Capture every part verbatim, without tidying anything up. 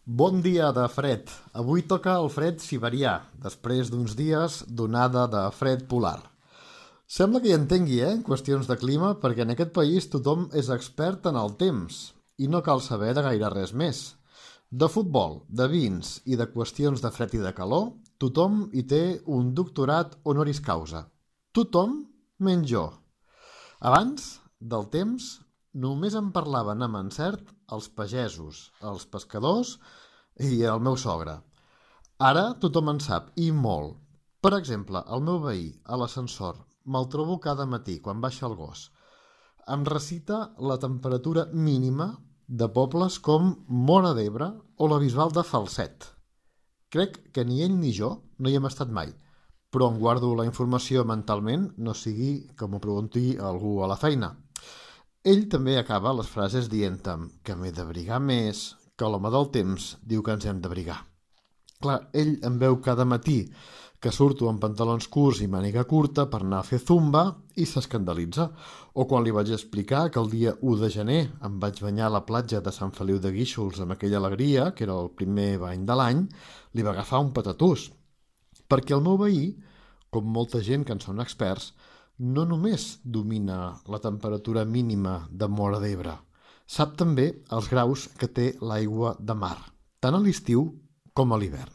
Bon dia de fred. Avui toca el fred siberià, després d'uns dies d'onada de fred polar. Sembla que hi entengui, eh, en qüestions de clima, perquè en aquest país tothom és expert en el temps i no cal saber de gaire res més. De futbol, de vins i de qüestions de fred i de calor, tothom hi té un doctorat honoris causa. Tothom menys jo. Abans del temps, només en parlaven amb encert els pagesos, els pescadors i el meu sogre. Ara tothom en sap, i molt. Per exemple, el meu veí, a l'ascensor, me'l trobo cada matí quan baixa el gos. Em recita la temperatura mínima de pobles com Móra d'Ebre o la Bisbal de Falset. Crec que ni ell ni jo no hi hem estat mai, però em guardo la informació mentalment, no sigui que m'ho pregunti algú a la feina. Ell també acaba les frases dient-em que m'he d'abrigar més, que l'home del temps diu que ens hem d'abrigar. Clar, ell em veu cada matí que surto amb pantalons curts i màniga curta per anar a fer zumba i s'escandalitza. O quan li vaig explicar que el dia u de gener em vaig banyar a la platja de Sant Feliu de Guíxols amb aquella alegria, que era el primer bany de l'any, li va agafar un patatús. Perquè el meu veí, com molta gent que en són experts, no només domina la temperatura mínima de Móra d'Ebre, sap també els graus que té l'aigua de mar, tant a l'estiu com a l'hivern.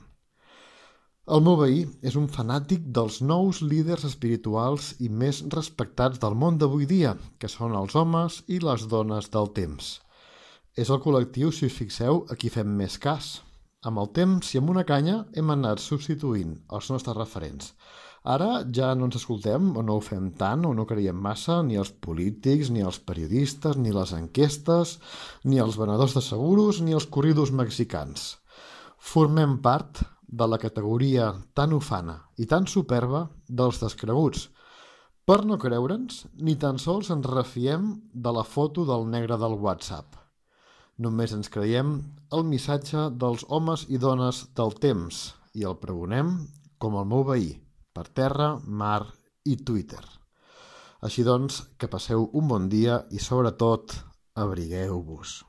El meu veí és un fanàtic dels nous líders espirituals i més respectats del món d'avui dia, que són els homes i les dones del temps. És el col·lectiu, si us fixeu, a qui fem més cas. Amb el temps i amb una canya hem anat substituint els nostres referents. Ara ja no ens escoltem o no ho fem tant o no creiem massa ni els polítics, ni els periodistes, ni les enquestes, ni els venedors de seguros, ni els corridos mexicans. Formem part de la categoria tan ufana i tan superba dels descreguts. Per no creure'ns, ni tan sols ens refiem de la foto del negre del WhatsApp. Només ens creiem el missatge dels homes i dones del temps i el pregonem com el meu veí, per terra, mar i Twitter. Així doncs, que passeu un bon dia i sobretot abrigueu-vos.